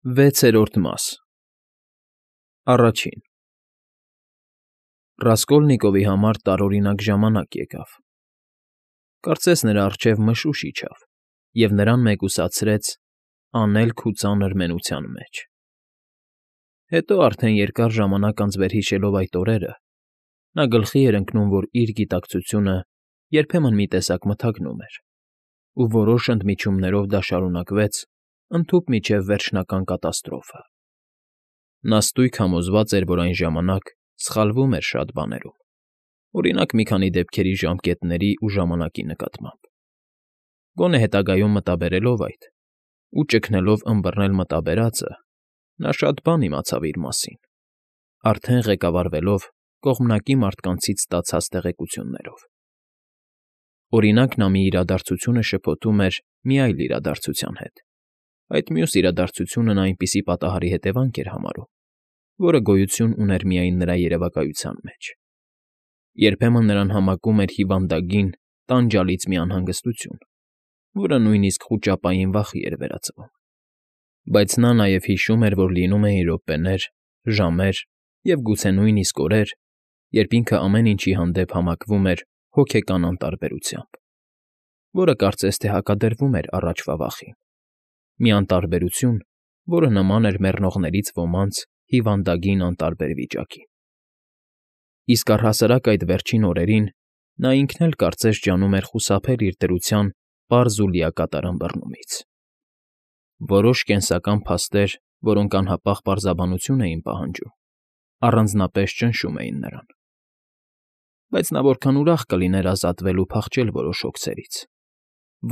Վեցերորդ մաս Առաջին Ռասկոլնիկովի համար տարօրինակ ժամանակ եկավ. կարծես նրա առջև մշուշ իջավ և նրան մեկուսացրեց անելք ու ծանր մենության մեջ. հետո արդեն երկար ժամանակ անց վերհիշելով այդ օրերը, նա գլխի էր ընկնում, որ իր գիտակցությունը երբեմն մի տեսակ մթագնում էր, ու որոշ ընդմիջումներով դա շարունակվեց ընդհուպ մինչև վերջնական կատաստրոֆը. նա ստույգ համոզված էր, որ այն ժամանակ սխալվում էր շատ բաներում, օրինակ մի քանի դեպքերի ժամկետների ու ժամանակի նկատմամբ, գոնե հետագայում մտաբերելով այդ ու ճգնելով ըմբռնել մտաբերածը, նա շատ բան իմացավ իր մասին, արդեն ղեկավարվելով կողմնակի մարդկանցից ստացած տեղեկություններով. օրինակ նա մի իրադարձություն շփոթում էր մի այլ իրադարձության հետ, այդ մյուս իրադարձությունը նա այնպիսի պատահարի հետևանք էր համարում, որը գոյություն ուներ միայն նրա երևակայության մեջ. երբեմն նրան համակում էր հիվանդագին, տանջալից մի անհանգստություն, որը նույնիսկ խուճապային վախի էր վերածվում, բայց նա նաև հիշում էր, որ լինում էին րոպեներ, ժամեր և գուցե նույնիսկ օրեր, երբ ինքը ամեն ինչի հանդեպ համակվում էր հոգեկան անտարբերությամբ, որը կարծես թե հակադրվում էր առաջվա վախին, մի անտարբերություն, որը նման էր մեռնողներից ոմանց հիվանդագին անտարբեր վիճակին. իսկ առհասարակ այդ վերջին օրերին նա ինքն էլ կարծես ջանում էր խուսափել իր դրության պարզ ու լիակատար ըմբռնումից. որոշ կենսական փաստեր, որոնք անհապաղ պարզաբանություն էին պահանջում, առանձնապես ճնշում էին նրան, բայց նա որքան ուրախ կլիներ ազատվել ու փախչել որոշ հոգսերից,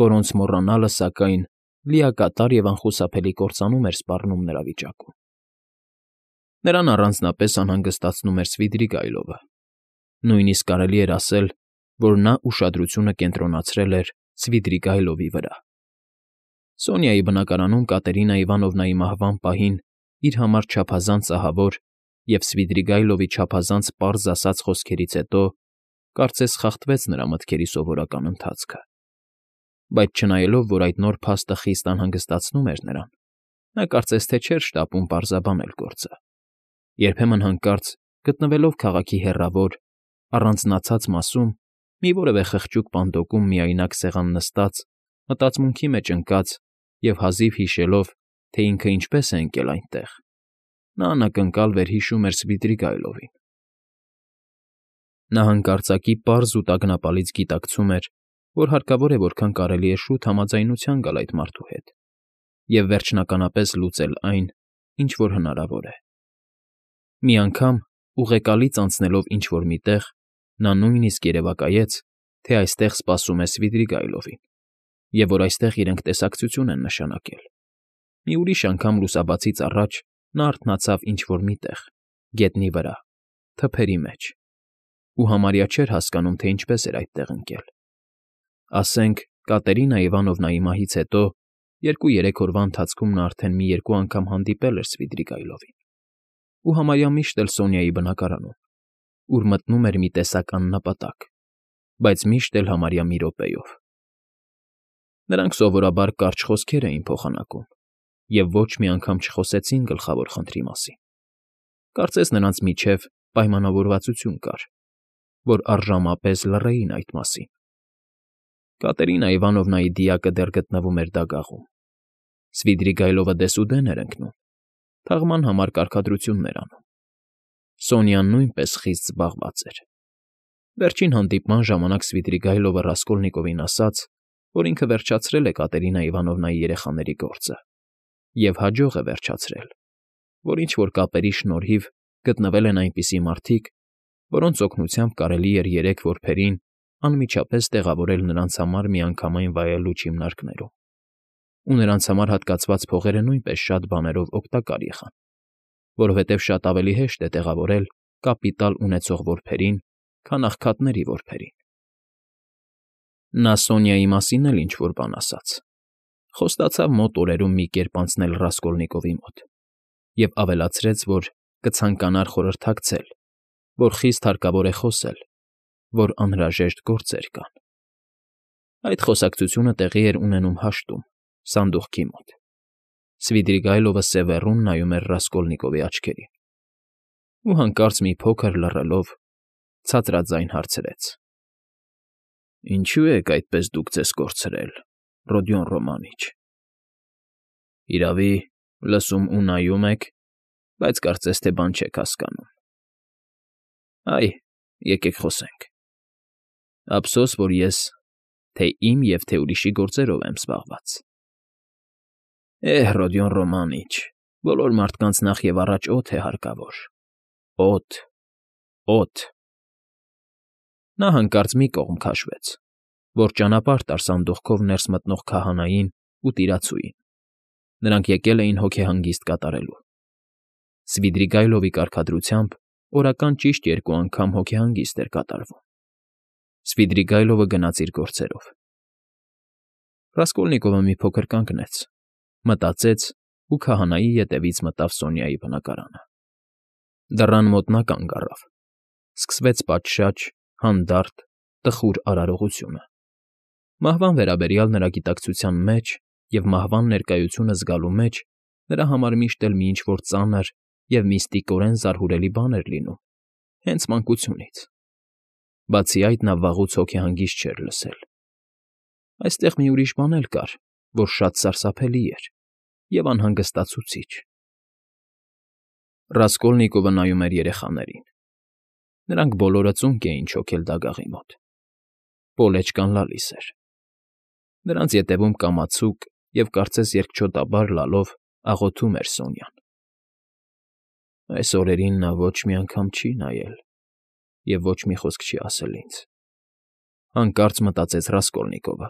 որոնց մոռանալը, սակայն, լիակատար և անխուսափելի կործանում էր սպառնում նրա վիճակում. նրան առանձնապես անհանգստացնում էր Սվիդրիգայլովը, նույնիսկ կարելի էր ասել, որ նա ուշադրությունը կենտրոնացրել էր Սվիդրիգայլովի վրա. Սոնյայի բնակարանում Կատերինա Իվանովնայի մահվան պահին իր համար չափազանց ահավոր և Սվիդրիգայլովի չափազանց պարզ ասած խոսքերից հետո կարծես խախտվեց նրա մտքերի սովորական ընթացքը, բայց չնայելով, որ այդ նոր փաստը խիստ անհանգստացնում էր նրան, նա կարծես թե չէր շտապում պարզաբանել գործը, երբեմն հանկարծ գտնվելով քաղաքի հեռավոր, առանձնացած մասում, մի որևէ խղճուկ պանդոկում միայնակ սեղան նստած, մտածմունքի մեջ ընկած և հազիվ հիշելով, թե ինքը ինչպես է ընկել այնտեղ, նա անակնկալ վերհիշում էր Սվիդրիգայլովին. նա հանկարծակի պարզ ու տագնապալից գիտակցում էր, որ հարկավոր է որքան կարելի է շուտ համաձայնության գալ այդ մարդու հետ և վերջնականապես լուծել այն, ինչ որ հնարավոր է. մի անգամ, ուղեկալից անցնելով ինչ֊որ մի տեղ, նա նույնիսկ երևակայեց, թե այստեղ սպասում է Սվիդրիգայլովին, և որ այստեղ իրենք տեսակցություն են նշանակել. մի ուրիշ անգամ լուսաբացից առաջ նա արթնացավ ինչ֊որ մի տեղ, գետնի վրա, թփերի մեջ, ու համարյա չէր հասկանում, թե ինչպես էր այդտեղ ընկել. ասենք, Կատերինա Իվանովնայի մահից հետո 2-3 օրվա ընթացքում նա արդեն մի երկու անգամ հանդիպել էր Սվիդրիգայլովին, ու համարյա միշտ էլ Սոնյայի բնակարանում, ուր մտնում էր մի տեսակ աննպատակ, բայց միշտ էլ համարյա մի րոպեով. նրանք սովորաբար կարճ խոսքեր էին փոխանակում և ոչ մի անգամ չխոսեցին գլխավոր խնդրի մասին, կարծես նրանց միջև պայմանավորվածություն կար, որ առժամապես լռեին այդ մասին. Կատերինա Իվանովնայի դիակը դեռ գտնվում էր դագաղում, Սվիդրիգայլովը դեսուդեն էր ընկնում, թաղման համար կարգադրություններ անում, Սոնյան նույնպես խիստ զբաղված էր. վերջին հանդիպման ժամանակ Սվիդրիգայլովը Ռասկոլնիկովին ասաց, որ ինքը վերջացրել է Կատերինա Իվանովնայի երեխաների գործը և հաջող է վերջացրել, որ ինչ֊որ կապերի շնորհիվ գտնվել են այնպիսի մարդիկ, որոնց օգնությամբ կարելի էր 3 որբերին անմիջապես տեղավորել նրանց համար միանգամայն վայելուչ հիմնարկներում, ու նրանց համար հատկացված փողերը նույնպես շատ բաներով օգտակար եղան, որովհետև շատ ավելի հեշտ է տեղավորել կապիտալ ունեցող որբերին, քան աղքատների որբերին. Նա Սոնյայի մասին էլ ինչ֊որ բան ասաց, խոստացավ մոտ օրերում մի կերպ անցնել Ռասկոլնիկովի մոտ և ավելացրեց, որ կցանկանար խորհրդակցել, որ խիստ հարկավոր է խոսել, որ անհրաժեշտ գործեր կան. այդ խոսակցությունը տեղի էր ունենում հաշտում, սանդուղքի մոտ, Սվիդրիգայլովը սևեռուն նայում էր Ռասկոլնիկովի աչքերին ու հանկարծ մի փոքր լռելով ցածրաձայն հարցրեց. «Ինչո՞ւ եք այդպես դուք ձեզ կորցրել, Ռոդիոն Ռոմանիչ։ Իրավի, լսում ու նայում եք, բայց կարծես թե բան չեք հասկանում։ Այ, եկեք խոսենք։ Ափսոս, որ ես թե իմ և թե ուրիշի գործերով եմ զբաղված։ Ռոդիոն Ռոմանիչ, բոլոր մարդկանց նախ և առաջ օդ է հարկավոր, օդ, օդ»։ Նա հանկարծ մի կողմ քաշվեց, որ ճանապարհ տար սանդուղքով ներս մտնող քահանային ու տիրացուին. նրանք եկել էին հոգեհանգիստ կատարելու։ Սվիդրիգայլովի կարգադրությամբ օրական ճիշտ 2 անգամ հոգեհանգիստ էր կատարվում։ Սվիդրիգայլովը գնաց իր գործերով։ Ռասկոլնիկովը մի փոքր կանգնեց, մտածեց ու քահանայի ետևից մտավ Սոնյայի բնակարանը։ Դռան մոտ նա կանգ առավ։ Սկսվեց պատշաճ, հանդարտ, տխուր արարողությունը։ Մահվան վերաբերյալ նրա գիտակցության մեջ և մահվան ներկայությունը զգալու մեջ նրա համար միշտ էլ մի ինչ֊որ ծանր և միստիկորեն զարհուրելի բան էր լինում, հենց մանկությունից։ Բացի այդ, նա վաղուց հոգեհանգիստ չէր լսել։ Այստեղ մի ուրիշ բան էլ կար, որ շատ սարսափելի էր և անհանգստացուցիչ։ Ռասկոլնիկովը նայում էր երեխաներին։ Նրանք բոլորը ծունկ էին չոքել դագաղի մոտ։ Պոլեչկան լալիս էր։ Նրանց ետևում կամացուկ և կարծես երկչոտաբար լալով աղոթում էր Սոնյան։ Այս օրերին նա ոչ մի անգամ չի նայել և ոչ մի խոսք չի ասել ինձ, հանկարծ մտածեց Ռասկոլնիկովը։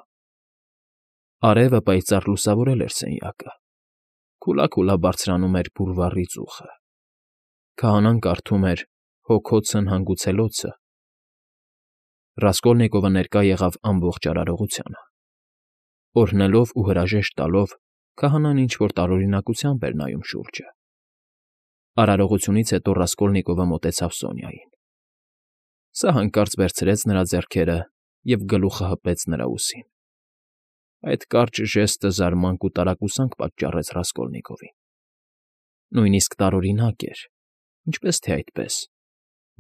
Արևը պայծառ լուսավորել էր սենյակը։ Քուլա֊քուլա բարձրանում էր բուլվարի ծուխը։ Քահանան կարդում էր «Հոգոցն հանգուցելոցը»։ Ռասկոլնիկովը ներկա եղավ ամբողջ արարողությանը։ Օրհնելով ու հրաժեշտ տալով, քահանան ինչ֊որ տարօրինակությամբ էր նայում շուրջը։ Արարողությունից հետո Ռասկոլնիկովը մոտեցավ Սոնյային։ Սա հանկարծ վերցրեց նրա ձեռքերը և գլուխը հպեց նրա ուսին։ Այդ կարճ ժեստը զարմանք ու տարակուսանք պատճառեց Ռասկոլնիկովին։ Նույնիսկ տարօրինակ էր, ինչպես թե այդպես,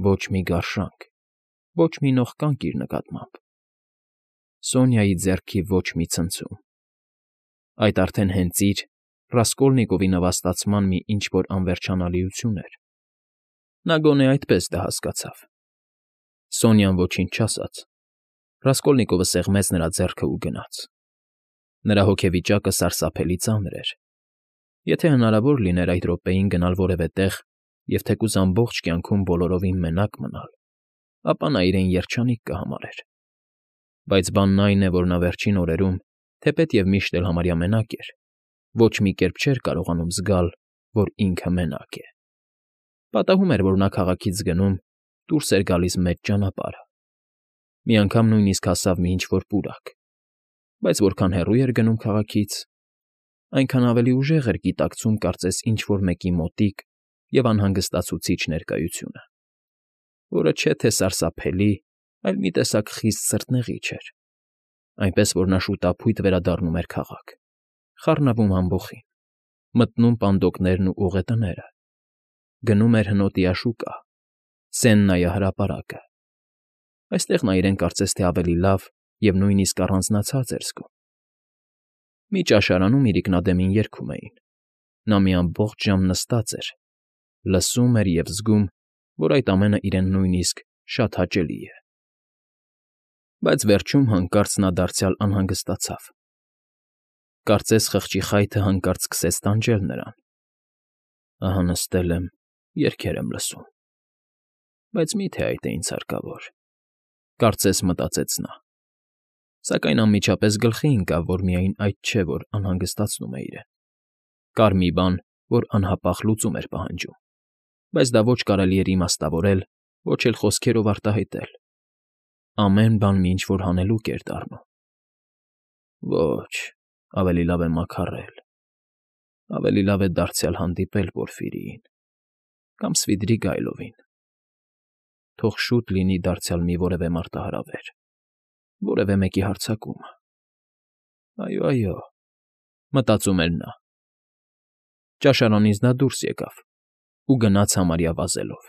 ոչ մի գարշանք, ոչ մի նողկանք իր նկատմամբ։ Սոնյայի ձեռքի ոչ մի ցնցում։ Այդ արդեն հենց իր՝ Ռասկոլնիկովի նվաստացման մի ինչ֊որ անվերջանալիություն էր։ Նա գոնե այդպես դա հասկացավ։ Սոնյան ոչինչ չասաց։ Ռասկոլնիկովը սեղմեց նրա ձեռքը ու գնաց։ Նրա հոգեվիճակը սարսափելի ծանր էր։ Եթե հնարավոր լիներ այդ րոպեին գնալ որևէ տեղ և թեկուզ ամբողջ կյանքում բոլորովին մենակ մնալ, ապա նա իրեն երջանիկ կհամարեր։ Բայց բանն այն է, որ նա վերջին օրերում, թեպետ և միշտ էլ համարյա մենակ էր, ոչ մի կերպ չէր կարողանում զգալ, որ ինքը մենակ է։ Պատահում էր, որ նա քաղաքից գնում, դուրս էր գալիս մեծ ճանապարհը։ Մի անգամ նույնիսկ հասավ մի ինչ֊որ պուրակ, բայց որքան հեռու էր գնում քաղաքից, այնքան ավելի ուժեղ էր գիտակցում կարծես ինչ֊որ մեկի մոտիկ և անհանգստացուցիչ ներկայությունը, որը չէ թե սարսափելի, այլ մի տեսակ խիստ սրտնեղիչ էր, այնպես որ նա շուտափույթ վերադառնում էր քաղաք, խառնվում ամբոխին, մտնում պանդոկներն ու ուղետները, գնում էր հնոտի աշուկա, Սեննայի հրապարակը։ Այստեղ նա իրեն կարծես թե ավելի լավ և նույնիսկ առանձնացած էր զգում։ Մի ճաշարանում իրիկնադեմին երգում էին։ Նա մի ամբողջ ժամ նստած էր, լսում էր և զգում, որ այդ ամենը իրեն նույնիսկ շատ հաճելի է։ Բայց վերջում հանկարծ նա դարձյալ անհանգստացավ։ Կարծես խղճի խայթը հանկարծ սկսեց տանջել նրան։ Ահա նստել եմ, երգեր եմ լսում։ Բայց մի՞թե այդ է ինձ հարկավոր, կարծես մտածեց նա։ Սակայն անմիջապես գլխի ընկավ, որ միայն այդ չէ, որ անհանգստացնում է իրեն։ Կար մի բան, որ անհապաղ լուծում էր պահանջում, բայց դա ոչ կարելի էր իմաստավորել, ոչ էլ խոսքերով արտահայտել։ Ամեն բան մի ինչ֊որ հանելուկ էր դառնում։ Ոչ, ավելի լավ է մաքարել, ավելի լավ է դարձյալ հանդիպել Պորֆիրիին կամ Սվիդրիգայլովին։ Թող շուտ լինի դարձյալ մի որևէ մարտահրավեր, որևէ մեկի հարձակումը։ Այո, այո, մտածում էր նա։ Ճաշարանից նա դուրս եկավ ու գնաց համարյա վազելով։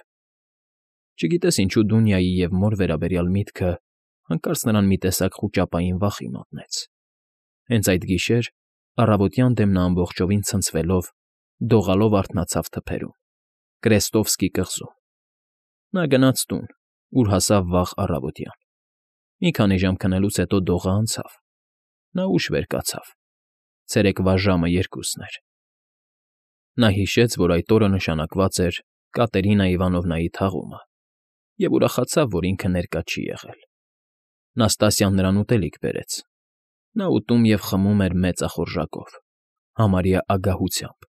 Չգիտես ինչու Դունյայի և մոր վերաբերյալ միտքը հանկարծ նրան մի տեսակ խուճապային վախի մատնեց։ Հենց այդ գիշեր, առավոտյան դեմ նա ամբողջովին ցնցվելով, դողալով արթնացավ թփերում, Կրեստովսկի կղզում։ Նա գնաց տուն, ուր հասավ վաղ առավոտյան։ Մի քանի ժամ քնելուց հետո դողը անցավ։ Նա ուշ վեր կացավ։ Ցերեկվա ժամը 2-ն էր։ Նա հիշեց, որ այդ օրը նշանակված էր Կատերինա Իվանովնայի թաղումը, և ուրախացավ, որ ինքը ներկա չի եղել։ Նաստասյան նրան ուտելիք բերեց։ Նա ուտում և խմում էր մեծախորժակով, համարյա ագահությամբ։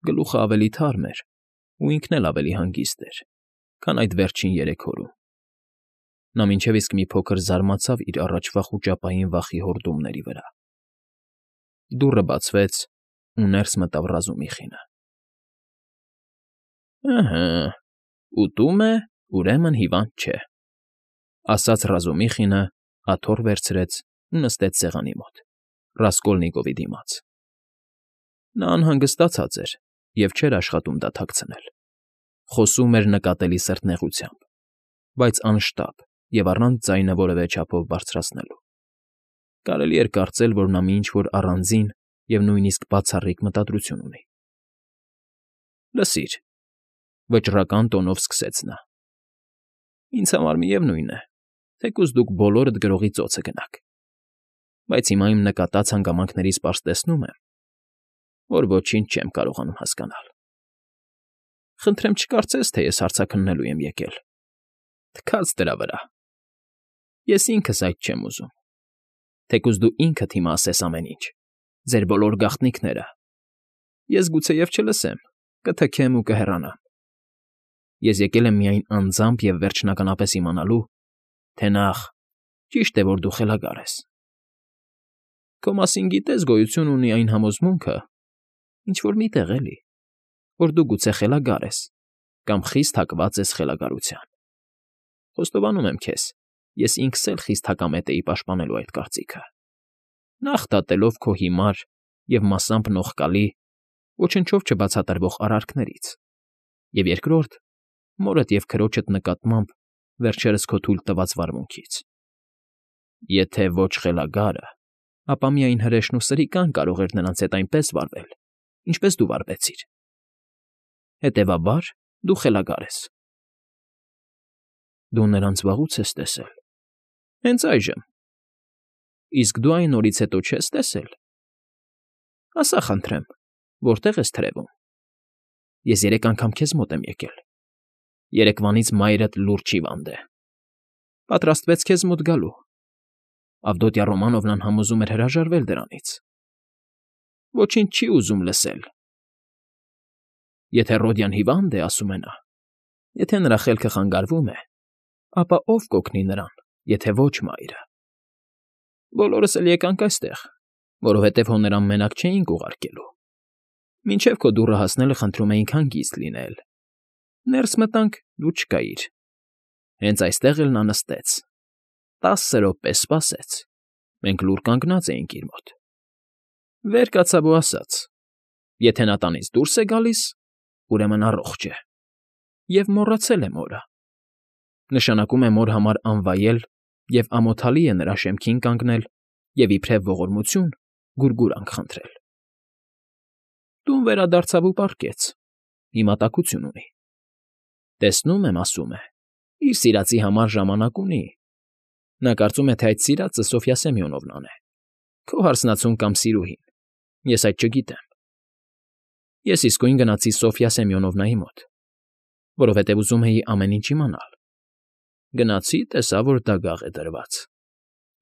Գլուխը ավելի թարմ էր ու ինքն էլ ավելի հանգիստ էր, քան այդ վերջին 3 օրում։ Նա մինչև իսկ մի փոքր զարմացավ իր առաջվա խուճապային վախի հորդումների վրա։ Դուռը բացվեց, ու ներս մտավ Ռազումիխինը։ «Ըհը, ուտում է, ուրեմն հիվանդ չէ», ֊ ասաց Ռազումիխինը, աթոռ վերցրեց ու նստեց սեղանի մոտ, Ռասկոլնիկովի դիմաց։ Նա անհանգստացած էր և չէր աշխատում դա թաքցնել։ Խոսում էր նկատելի սրտնեղությամբ, բայց անշտապ և առանց ձայնը որևէ չափով բարձրացնելու։ Կարելի էր կարծել, որ նա մի ինչ֊որ առանձին և նույնիսկ բացառիկ մտադրություն ունի։ «Լսիր,֊ վճռական տոնով սկսեց նա,֊ ինձ համար միևնույն է, թեկուզ դուք բոլորդ գրողի ծոցը գնաք, բայց հիմա իմ նկատած հանգամանքներից պարզ տեսնում եմ, որ ոչինչ չեմ կարողանում հասկանալ։ Խնդրեմ չկարծես, թե ես հարցաքննելու եմ եկել։ Թքած դրա վրա։ Ես ինքս այդ չեմ ուզում։ Թեկուզ դու ինքդ հիմա ասես ամեն ինչ, ձեր բոլոր գաղտնիքները։ Ես գուցեև չլսեմ, կթքեմ ու կհեռանամ։ Ես եկել եմ միայն անձամբ և վերջնականապես իմանալու, թե նախ, ճիշտ է, որ դու խելագար ես։ Քո մասին գիտես, գոյություն ունի այն համոզմունքը, ինչ֊որ մի տեղ էլի, որ դու գուցե խելագար ես կամ խիստ հակված ես խելագարության։ Խոստովանում եմ քեզ, ես ինքս էլ խիստ հակամետ էի պաշտպանելու այդ կարծիքը, նախ դատելով քո հիմար և մասամբ նողկալի, ոչնչով չբացատրվող արարքներից, և երկրորդ, մորդ և քրոջդ նկատմամբ վերջերս քո թույլ տված վարմունքից։ Եթե ոչ խելագարը, ապա միայն հրեշն ու սրիկան կարող էր նրանց հետ այնպես վարվել, ինչպես դու վարվեցիր։ Հետևաբար, դու խելագար ես։ Դու նրանց վաղուց ես տեսել։ Հենց այժմ։ Իսկ դու այն օրից հետո չես տեսել։ Ասա, խնդրեմ, որտե՞ղ ես թրևում։ Ես 3 անգամ քեզ մոտ եմ եկել։ Երեկվանից մայրդ լուրջ հիվանդ է։ Պատրաստվեց քեզ մոտ գալու։ Ավդոտյա Ռոմանովնան համոզում էր հրաժարվել դրանից։ Ոչինչ չի ուզում լսել։ Եթե Ռոդյան հիվանդ է, ասում է նա, եթե նրա խելքը խանգարվում է, ապա ո՞վ կօգնի նրան, եթե ոչ մայրը։ Բոլորս էլ եկանք այստեղ, որովհետև հո նրան մենակ չէինք ուղարկելու։ Մինչև քո դուռը հասնելը խնդրում էինք հանգիստ լինել։ Ներս մտանք, դու չկայիր։ Հենց այստեղ էլ նա նստեց։ 10 րոպե սպասեց։ Մենք լուռ կանգնած էինք իր մոտ։ Վեր կացավ ու ասաց. եթե նա տանից դուրս է գալիս, ուրեմն առողջ է։ Եվ մոռացել է մորը։ Նշանակում է մոր համար անվայել և ամոթալի է նրա շեմքին կանգնել և իբրև ողորմություն գուրգուրանք խնդրել։ Տուն վերադարձավ ու պառկեց։ Հիմա տաքություն ունի։ Տեսնում եմ, ասում է, իր սիրածի համար ժամանակ ունի։ Նա կարծում է, թե այդ սիրածը Սոֆյա Սեմյոնովնան է, քո հարսնացուն կամ սիրուհին, ես այդ չգիտեմ։ Ես իսկույն գնացի Սոֆյա Սեմյոնովնայի մոտ, որովհետև ուզում էի ամեն ինչ իմանալ։ Գնացի, տեսա, որ դագաղ է դրված։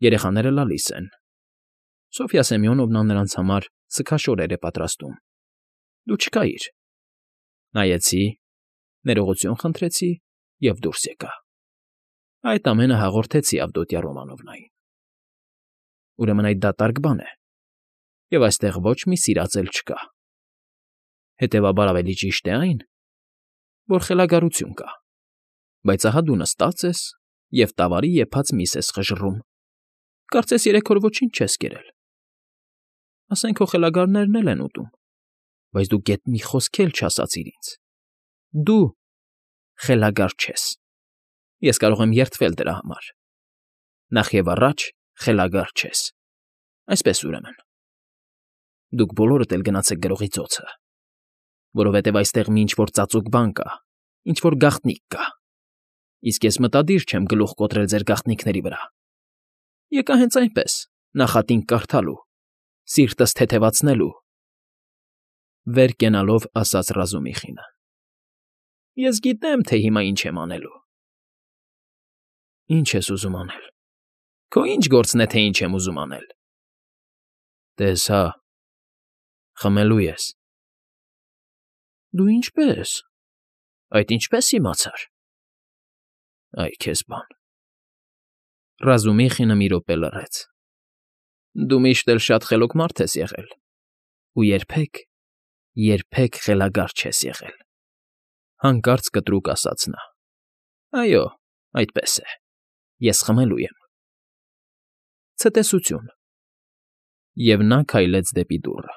Երեխաները լալիս են։ Սոֆյա Սեմյոնովնան նրանց համար սգաշորեր է պատրաստում։ Դու չկայիր։ Նայեցի, ներողություն խնդրեցի և դուրս եկա։ Այդ ամենը հաղորդեցի Ավդոտյա Ռոմանովնային։ Ուրեմն այդ դատարկ բան է, և այստեղ ոչ մի սիրած էլ չկա։ Հետևաբար ավելի ճիշտ է այն, որ խելագարություն կա, բայց ահա դու նստած ես և տավարի եփած միս ես խժռում, կարծես 3 օր ոչինչ չես կերել։ Ասենք քո խելագարներն էլ են ուտում, Բայց դու գեթ մի խոսք էլ չասացիր ինձ։ Դու խելագար չես։ Ես կարող եմ երդվել դրա համար։ Նախ և առաջ խելագար չես։ Այսպես ուրեմն։ Դուք բոլորդ էլ գնացեք գրողի ծոցը, որովհետև այստեղ մի ինչ֊որ ծածուկ բան կա, ինչ֊որ գաղտնիք կա, իսկ ես մտադիր չեմ գլուխ կոտրել ձեր գաղտնիքների վրա։ Եկա հենց այնպես, նախատինք կարդալու, սիրտս թեթևացնելու, վեր կենալով ասաց Ռազումիխինը։ Ես գիտեմ, թե հիմա ինչ եմ անելու։ Ինչ ես ուզում անել։ Քո ի՞նչ գործն է, թե ինչ եմ ուզում անել։ Տես հա, խմելու ես։ Դու ինչպե՞ս։ Այդ ինչպե՞ս իմացար։ Այ քեզ բան։ Ռազումիխինը մի րոպե լռեց։ Դու միշտ էլ շատ խելոք մարդ ես եղել, ու երբեք խելագար չես եղել։ Հանկարծ կտրուկ ասաց նա։ Այո, այդպես է։ Ես խմելու եմ։ Ցտեսություն։ Եվ նա քայլեց դեպի դուռը։